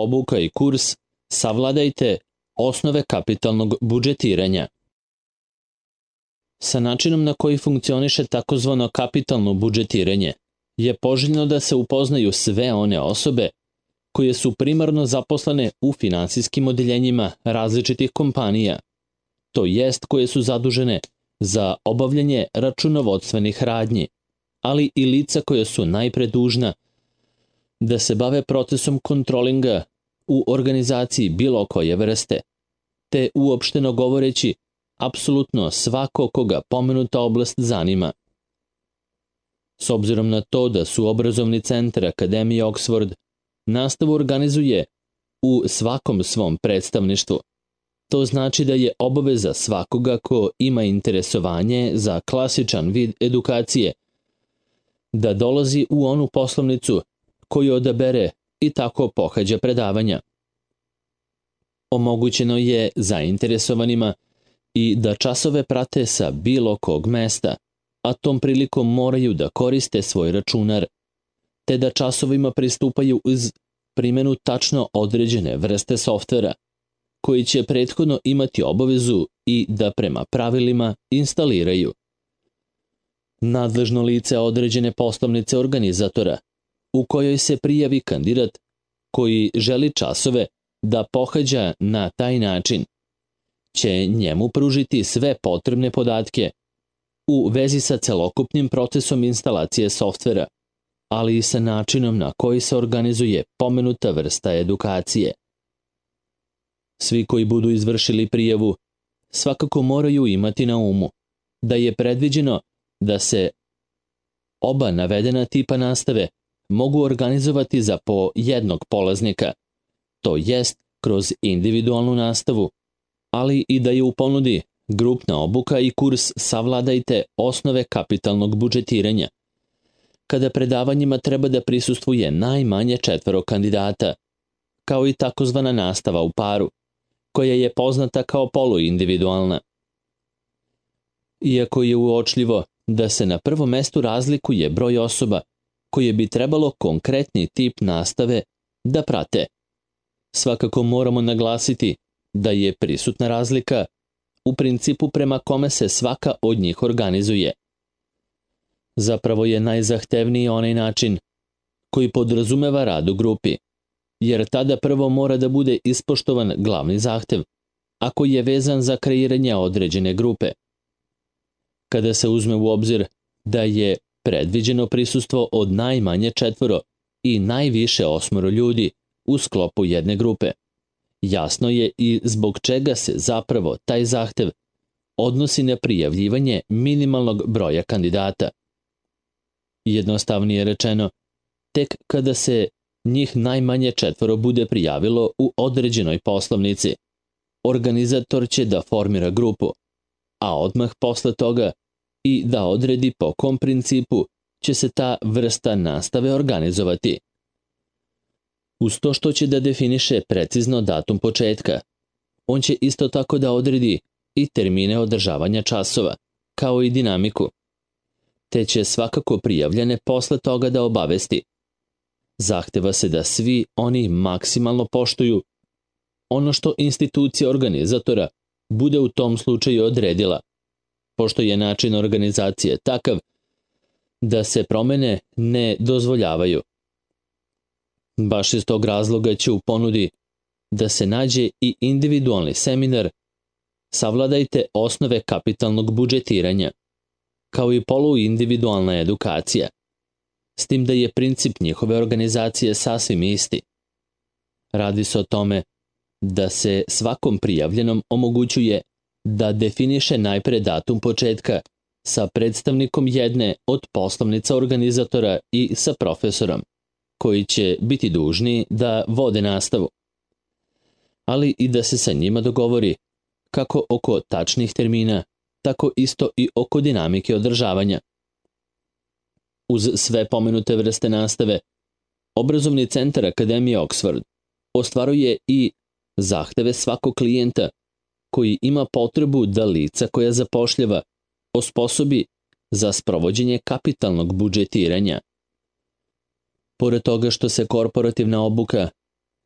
obuka i kurs Savladajte osnove kapitalnog budžetiranja. Sa načinom na koji funkcioniše takozvano kapitalno budžetiranje je poželjno da se upoznaju sve one osobe koje su primarno zaposlene u finansijskim odeljenjima različitih kompanija, to jest koje su zadužene za obavljanje računovodstvenih radnji, ali i lica koja su najpre dužna da se bave procesom kontrolinga u organizaciji bilo koje vrste, te uopšteno govoreći apsolutno svako koga pomenuta oblast zanima. S obzirom na to da su obrazovni centar Akademije Oxford nastavu organizuje u svakom svom predstavništvu, to znači da je obaveza svakoga ko ima interesovanje za klasičan vid edukacije da dolazi u onu poslovnicu koju odabere i tako pohađa predavanja. Omogućeno je zainteresovanima i da časove prate sa bilo kog mesta, a tom prilikom moraju da koriste svoj računar, te da časovima pristupaju uz primjenu tačno određene vrste softvera, koji će prethodno imati obavezu i da prema pravilima instaliraju. Nadležno lice određene poslovnice organizatora, u kojoj se prijavi kandidat koji želi časove da pohađa na taj način, će njemu pružiti sve potrebne podatke u vezi sa celokupnim procesom instalacije softvera, ali i sa načinom na koji se organizuje pomenuta vrsta edukacije. Svi koji budu izvršili prijavu svakako moraju imati na umu da je predviđeno da se oba navedena tipa nastave mogu organizovati za po jednog polaznika, to jest kroz individualnu nastavu, ali i da je u ponudi grupna obuka i kurs Savladajte osnove kapitalnog budžetiranja, kada predavanjima treba da prisustvuje najmanje 4 kandidata, kao i takozvana nastava u paru, koja je poznata kao poluindividualna. Iako je uočljivo da se na prvom mestu razlikuje broj osoba koje bi trebalo konkretni tip nastave da prate, svakako moramo naglasiti da je prisutna razlika u principu prema kome se svaka od njih organizuje. Zapravo je najzahtevniji onaj način koji podrazumeva rad u grupi, jer tada prvo mora da bude ispoštovan glavni zahtev, a koji je vezan za kreiranje određene grupe. Kada se uzme u obzir da je predviđeno prisustvo od najmanje 4 i najviše 8 ljudi u sklopu jedne grupe, jasno je i zbog čega se zapravo taj zahtev odnosi na prijavljivanje minimalnog broja kandidata. Jednostavnije rečeno, tek kada se njih najmanje 4 bude prijavilo u određenoj poslovnici, organizator će da formira grupu, a odmah posle toga i da odredi po kom principu će se ta vrsta nastave organizovati. Uz to što će da definiše precizno datum početka, on će isto tako da odredi i termine održavanja časova, kao i dinamiku, te će svakako prijavljene posle toga da obavesti. Zahteva se da svi oni maksimalno poštuju ono što institucija organizatora bude u tom slučaju odredila, pošto je način organizacije takav da se promene ne dozvoljavaju. Baš iz tog razloga će u ponudi da se nađe i individualni seminar Savladajte osnove kapitalnog budžetiranja, kao i poluindividualna edukacija, s tim da je princip njihove organizacije sasvim isti. Radi se o tome da se svakom prijavljenom omogućuje da definiše najpre datum početka sa predstavnikom jedne od poslovnica organizatora i sa profesorom, koji će biti dužni da vode nastavu, ali i da se sa njima dogovori kako oko tačnih termina, tako isto i oko dinamike održavanja. Uz sve pomenute vrste nastave, obrazovni centar Akademije Oxford ostvaruje i zahteve svakog klijenta koji ima potrebu da lica koja zapošljava osposobi za sprovođenje kapitalnog budžetiranja. Pored toga što se korporativna obuka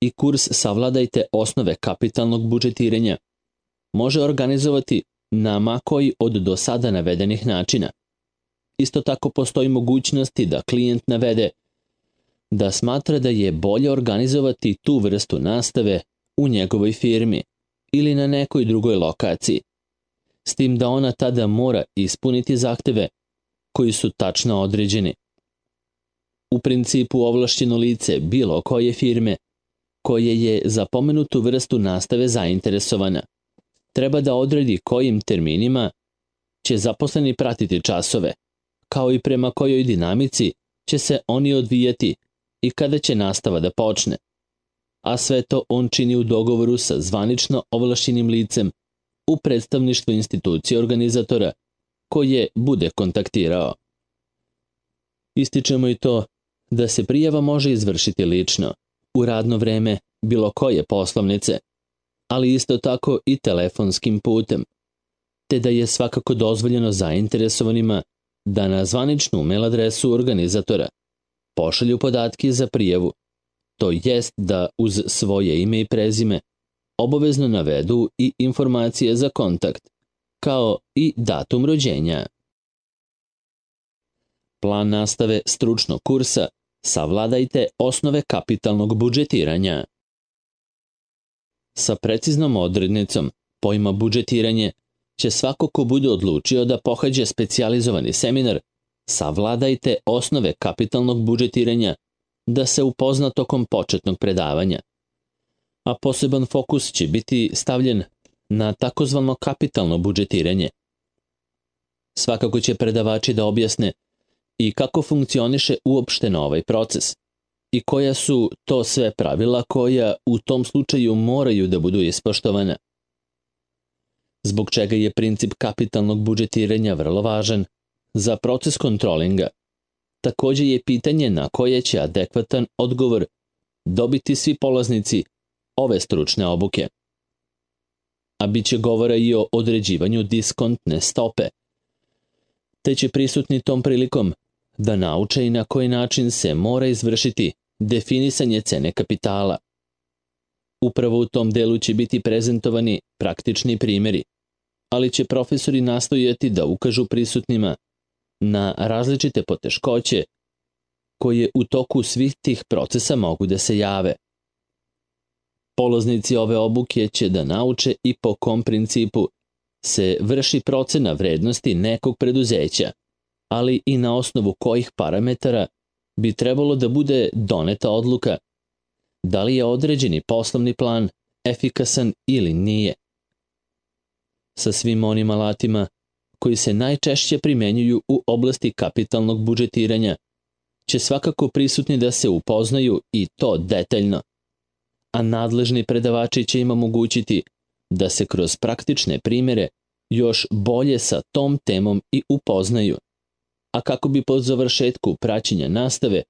i kurs Savladajte osnove kapitalnog budžetiranja može organizovati na ma koji od do sada navedenih načina. Isto tako postoji mogućnosti da klijent navede da smatra da je bolje organizovati tu vrstu nastave u njegovoj firmi ili na nekoj drugoj lokaciji, s tim da ona tada mora ispuniti zahteve koji su tačno određeni. U principu ovlašćeno lice bilo koje firme koje je za pomenutu vrstu nastave zainteresovana treba da odredi kojim terminima će zaposleni pratiti časove, kao i prema kojoj dinamici će se oni odvijati i kada će nastava da počne, a sve to on čini u dogovoru sa zvanično ovlašćenim licem u predstavništvu institucije organizatora koje bude kontaktirao. Ističemo i to da se prijava može izvršiti lično, u radno vreme bilo koje poslovnice, ali isto tako i telefonskim putem, te da je svakako dozvoljeno zainteresovanima da na zvaničnu mail adresu organizatora pošalju podatke za prijavu, to jest da uz svoje ime i prezime obavezno navedu i informacije za kontakt, kao i datum rođenja. Plan nastave stručnog kursa Savladajte osnove kapitalnog budžetiranja. Sa preciznom odrednicom pojma budžetiranje će svako ko bude odlučio da pohađa specijalizovani seminar Savladajte osnove kapitalnog budžetiranja da se upozna tokom početnog predavanja, a poseban fokus će biti stavljen na takozvano kapitalno budžetiranje. Svakako će predavači da objasne i kako funkcioniše uopšteno ovaj proces i koja su to sve pravila koja u tom slučaju moraju da budu ispoštovana. Zbog čega je princip kapitalnog budžetiranja vrlo važan za proces kontrolinga. Takođe je pitanje na koje će adekvatan odgovor dobiti svi polaznici ove stručne obuke. A bit će govora i o određivanju diskontne stope, te će prisutni tom prilikom da nauče i na koji način se mora izvršiti definisanje cene kapitala. Upravo u tom delu će biti prezentovani praktični primjeri, ali će profesori nastojati da ukažu prisutnima na različite poteškoće koje u toku svih tih procesa mogu da se jave. Polaznici ove obuke će da nauče i po kom principu se vrši procena vrednosti nekog preduzeća, ali i na osnovu kojih parametara bi trebalo da bude doneta odluka da li je određeni poslovni plan efikasan ili nije. Sa svim onim alatima koji se najčešće primenjuju u oblasti kapitalnog budžetiranja će svakako prisutni da se upoznaju i to detaljno, a nadležni predavači će im omogućiti da se kroz praktične primjere još bolje sa tom temom i upoznaju, a kako bi po završetku praćenja nastave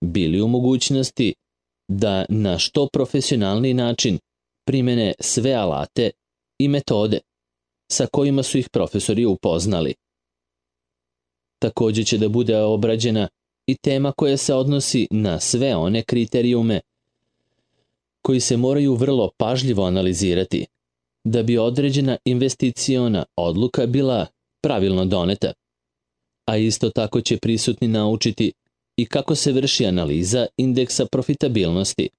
bili u mogućnosti da na što profesionalniji način primene sve alate i metode sa kojima su ih profesori upoznali. Takođe će da bude obrađena i tema koja se odnosi na sve one kriterijume koji se moraju vrlo pažljivo analizirati da bi određena investiciona odluka bila pravilno doneta, a isto tako će prisutni naučiti i kako se vrši analiza indeksa profitabilnosti.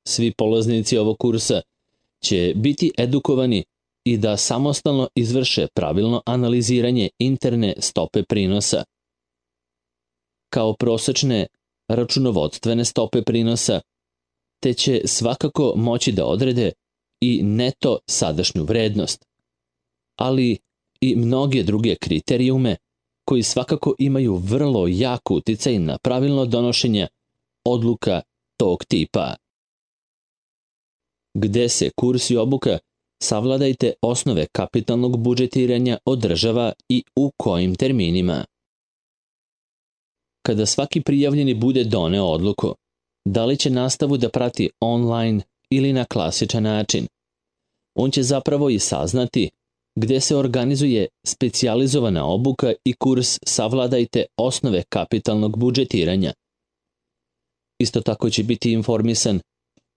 Svi polaznici ovog kursa će biti edukovani i da samostalno izvrše pravilno analiziranje interne stope prinosa, kao prosečne računovodstvene stope prinosa, te će svakako moći da odrede i neto sadašnju vrednost, ali i mnoge druge kriterijume koji svakako imaju vrlo jak uticaj na pravilno donošenje odluka tog tipa. Gde se kurs i obuka Savladajte osnove kapitalnog budžetiranja održava i u kojim terminima? Kada svaki prijavljeni bude doneo odluku da li će nastavu da prati online ili na klasičan način, on će zapravo i saznati gde se organizuje specijalizovana obuka i kurs Savladajte osnove kapitalnog budžetiranja. Isto tako će biti informisan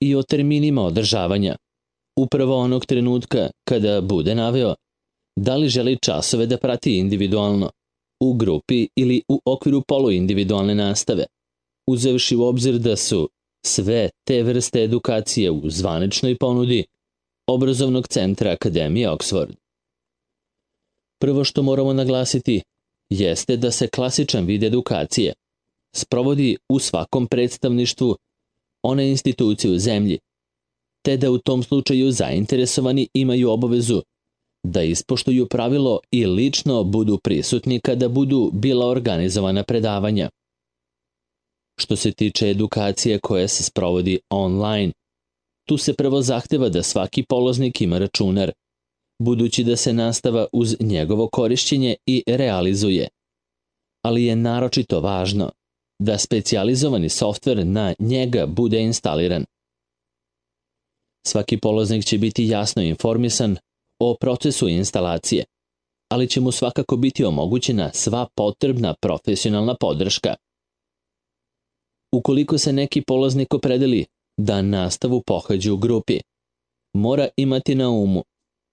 i o terminima održavanja, upravo onog trenutka kada bude naveo da li želi časove da prati individualno, u grupi ili u okviru poluindividualne nastave, uzevši u obzir da su sve te vrste edukacije u zvaničnoj ponudi Obrazovnog centra Akademije Oxford. Prvo što moramo naglasiti jeste da se klasičan vid edukacije sprovodi u svakom predstavništvu one institucije u zemlji, te da u tom slučaju zainteresovani imaju obavezu da ispoštuju pravilo i lično budu prisutni kada budu bila organizovana predavanja. Što se tiče edukacije koja se sprovodi online, tu se prvo zahteva da svaki polaznik ima računar, budući da se nastava uz njegovo korišćenje i realizuje. Ali je naročito važno da specijalizovani softver na njega bude instaliran. Svaki polaznik će biti jasno informisan o procesu instalacije, ali će mu svakako biti omogućena sva potrebna profesionalna podrška. Ukoliko se neki polaznik opredeli da nastavu pohađa u grupi, mora imati na umu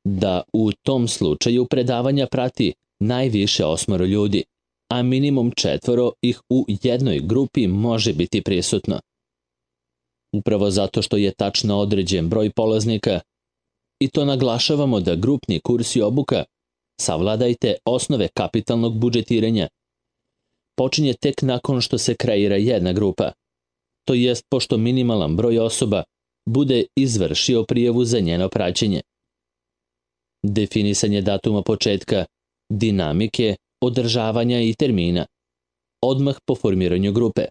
da u tom slučaju predavanja prati najviše 8 ljudi, a minimum 4 ih u jednoj grupi može biti prisutno. Upravo zato što je tačno određen broj polaznika, i to naglašavamo da grupni kurs i obuka Savladajte osnove kapitalnog budžetiranja počinje tek nakon što se kreira jedna grupa, to jest pošto minimalan broj osoba bude izvršio prijavu za njeno praćenje. Definisanje datuma početka, dinamike, održavanja i termina, odmah po formiranju grupe,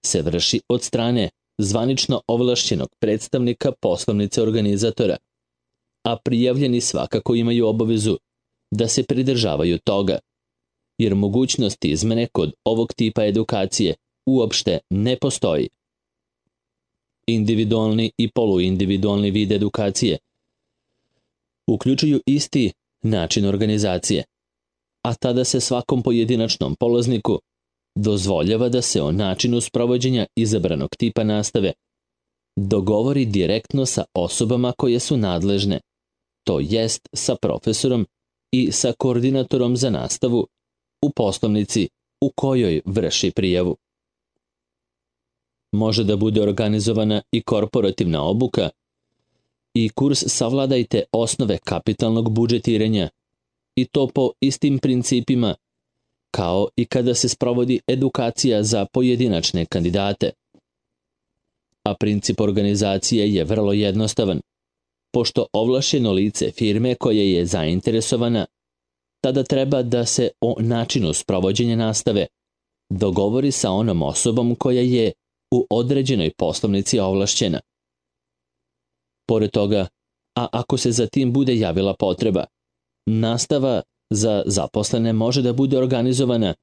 se vrši od strane zvanično ovlašćenog predstavnika poslovnice organizatora, a prijavljeni svakako imaju obavezu da se pridržavaju toga, jer mogućnost izmene kod ovog tipa edukacije uopšte ne postoji. Individualni i poluindividualni vid edukacije uključuju isti način organizacije, a tada se svakom pojedinačnom polazniku dozvoljava da se o načinu sprovođenja izabranog tipa nastave dogovori direktno sa osobama koje su nadležne, to jest sa profesorom i sa koordinatorom za nastavu u poslovnici u kojoj vrši prijavu. Može da bude organizovana i korporativna obuka i kurs Savladajte osnove kapitalnog budžetiranja, i to po istim principima kao i kada se sprovodi edukacija za pojedinačne kandidate. A princip organizacije je vrlo jednostavan, pošto ovlašćeno lice firme koje je zainteresovana tada treba da se o načinu sprovođenja nastave dogovori sa onom osobom koja je u određenoj poslovnici ovlašćena. Pored toga, a ako se za tim bude javila potreba, nastava za zaposlene može da bude organizovana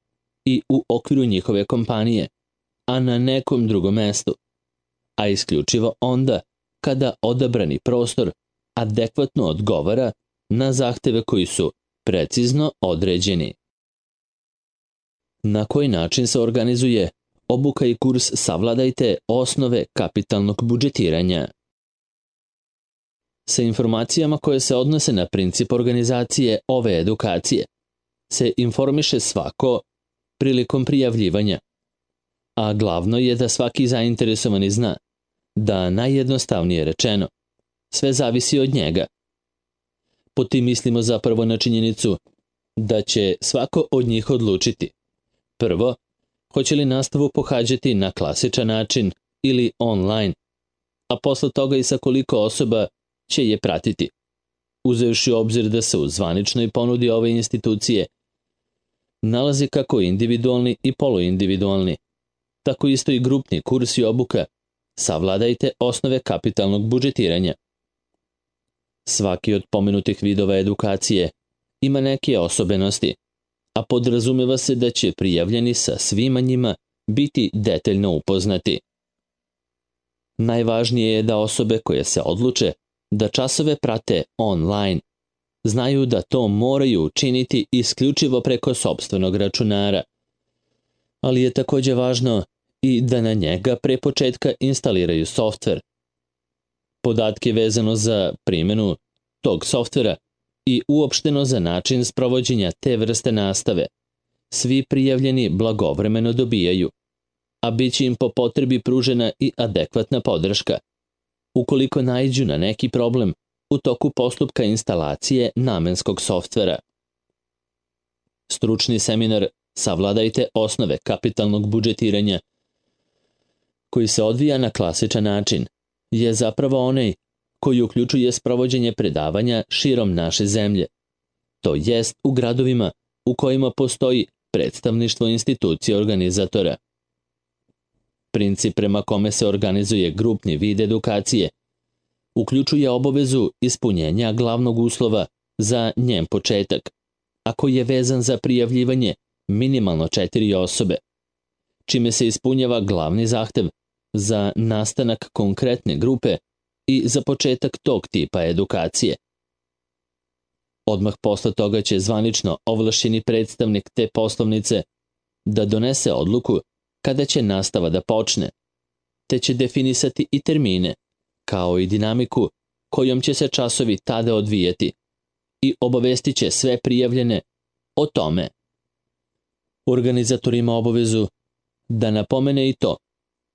i u okviru njihove kompanije, a na nekom drugom mestu, a isključivo onda kada odabrani prostor adekvatno odgovara na zahteve koji su precizno određeni. Na koji način se organizuje obuka i kurs Savladajte osnove kapitalnog budžetiranja? Sa informacijama koje se odnose na princip organizacije ove edukacije se informiše svako prilikom prijavljivanja, a glavno je da svaki zainteresovani zna da, najjednostavnije rečeno, sve zavisi od njega. Pod tim mislimo zapravo na činjenicu da će svako od njih odlučiti prvo, hoće li nastavu pohađati na klasičan način ili online, a posle toga i sa koliko osoba će je pratiti, uzevši u obzir da se u zvaničnoj ponudi ove institucije nalazi kako individualni i poluindividualni, tako isto i grupni kurs i obuka Savladajte osnove kapitalnog budžetiranja. Svaki od pomenutih vidova edukacije ima neke osobenosti, a podrazumeva se da će prijavljeni sa svima njima biti detaljno upoznati. Najvažnije je da osobe koje se odluče da časove prate online znaju da to moraju učiniti isključivo preko sopstvenog računara, ali je takođe važno i da na njega pre početka instaliraju softver. Podatke vezano za primjenu tog softvera i uopšteno za način sprovođenja te vrste nastave svi prijavljeni blagovremeno dobijaju, a bit će im po potrebi pružena i adekvatna podrška ukoliko naiđu na neki problem u toku postupka instalacije namenskog softvera. Stručni seminar Savladajte osnove kapitalnog budžetiranja, koji se odvija na klasičan način, je zapravo onaj koji uključuje sprovođenje predavanja širom naše zemlje, to jest u gradovima u kojima postoji predstavništvo institucije organizatora. Princip prema kome se organizuje grupni vid edukacije uključuje obavezu ispunjenja glavnog uslova za njen početak, a koji je vezan za prijavljivanje minimalno 4 osobe, čime se ispunjava glavni zahtev za nastanak konkretne grupe i za početak tog tipa edukacije. Odmah posle toga će zvanično ovlašćeni predstavnik te poslovnice da donese odluku kada će nastava da počne, te će definisati i termine, kao i dinamiku kojom će se časovi tada odvijati i obavestit će sve prijavljene o tome. Organizator ima obavezu da napomene i to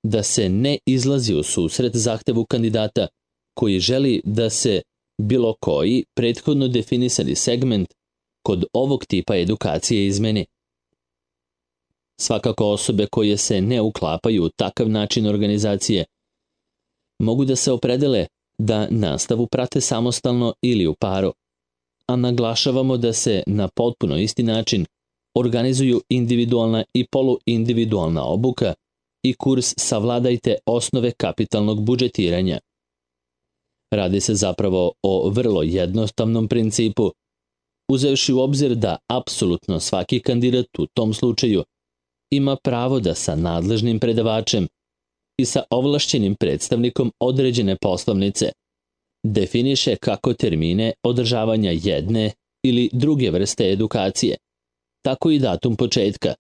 da se ne izlazi u susret zahtevu kandidata koji želi da se bilo koji prethodno definisani segment kod ovog tipa edukacije izmeni. Svakako osobe koje se ne uklapaju u takav način organizacije mogu da se opredele da nastavu prate samostalno ili u paru, a naglašavamo da se na potpuno isti način organizuju individualna i poluindividualna obuka i kurs Savladajte osnove kapitalnog budžetiranja. Radi se zapravo o vrlo jednostavnom principu, uzevši u obzir da apsolutno svaki kandidat u tom slučaju ima pravo da sa nadležnim predavačem i sa ovlašćenim predstavnikom određene poslovnice definiše kako termine održavanja jedne ili druge vrste edukacije, tako i datum početka,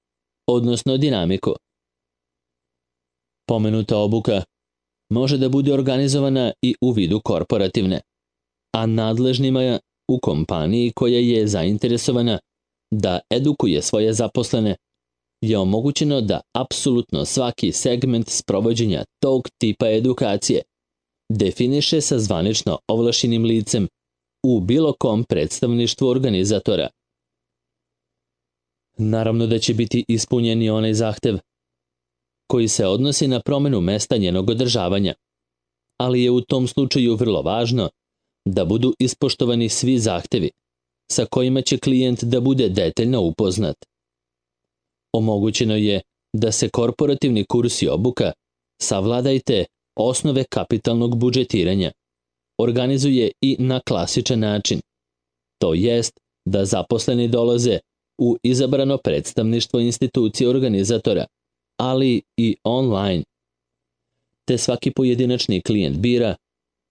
odnosno dinamiku. Pomenuta obuka može da bude organizovana i u vidu korporativne, a nadležnima u kompaniji koja je zainteresovana da edukuje svoje zaposlene je omogućeno da apsolutno svaki segment sprovođenja tog tipa edukacije definiše sa zvanično ovlašćenim licem u bilo kom predstavništvu organizatora. Naravno da će biti ispunjen i onaj zahtev koji se odnosi na promenu mesta njenog održavanja, ali je u tom slučaju vrlo važno da budu ispoštovani svi zahtevi sa kojima će klijent da bude detaljno upoznat. Omogućeno je da se korporativni kurs i obuka Savladajte osnove kapitalnog budžetiranja organizuje i na klasičan način, to jest da zaposleni dolaze u izabrano predstavništvo institucije organizatora, ali i online, te svaki pojedinačni klijent bira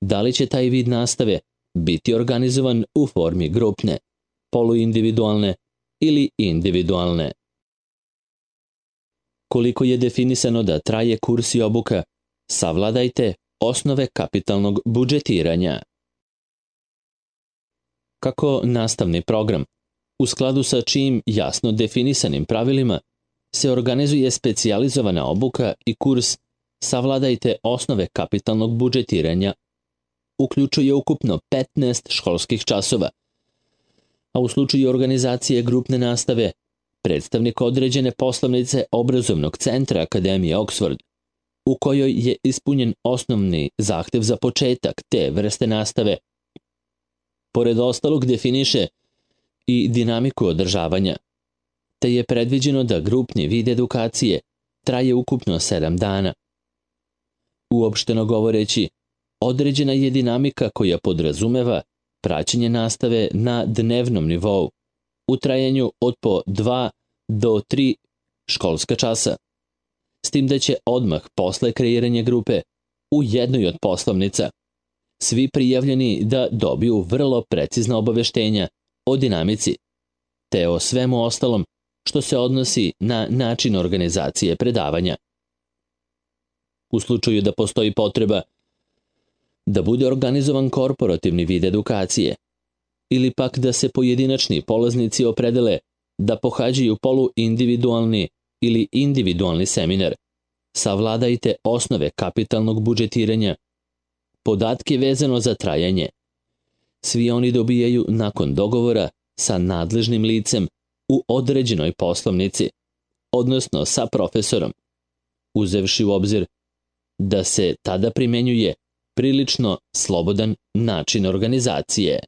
da li će taj vid nastave biti organizovan u formi grupne, poluindividualne ili individualne. Koliko je definisano da traje kurs i obuka Savladajte osnove kapitalnog budžetiranja. Kako nastavni program, u skladu sa čijim jasno definisanim pravilima, se organizuje specijalizovana obuka i kurs Savladajte osnove kapitalnog budžetiranja, uključuje ukupno 15 školskih časova, a u slučaju organizacije grupne nastave, predstavnik određene poslovnice obrazovnog centra Akademije Oxford, u kojoj je ispunjen osnovni zahtev za početak te vrste nastave, pored ostalog definiše i dinamiku održavanja, te je predviđeno da grupni vid edukacije traje ukupno 7 dana. Uopšteno govoreći, određena je dinamika koja podrazumeva praćenje nastave na dnevnom nivou, u trajanju od po 2 do 3 školska časa, s tim da će odmah posle kreiranja grupe u jednoj od poslovnica svi prijavljeni da dobiju vrlo precizna obaveštenja o dinamici, te o svemu ostalom što se odnosi na način organizacije predavanja. u slučaju da postoji potreba, da bude organizovan korporativni vid edukacije, ili pak da se pojedinačni polaznici opredele da pohađaju poluindividualni ili individualni seminar. Savladajte osnove kapitalnog budžetiranja, podatke vezano za trajanje. Svi oni dobijaju nakon dogovora sa nadležnim licem u određenoj poslovnici, odnosno sa profesorom, uzevši u obzir da se tada primenjuje prilično slobodan način organizacije.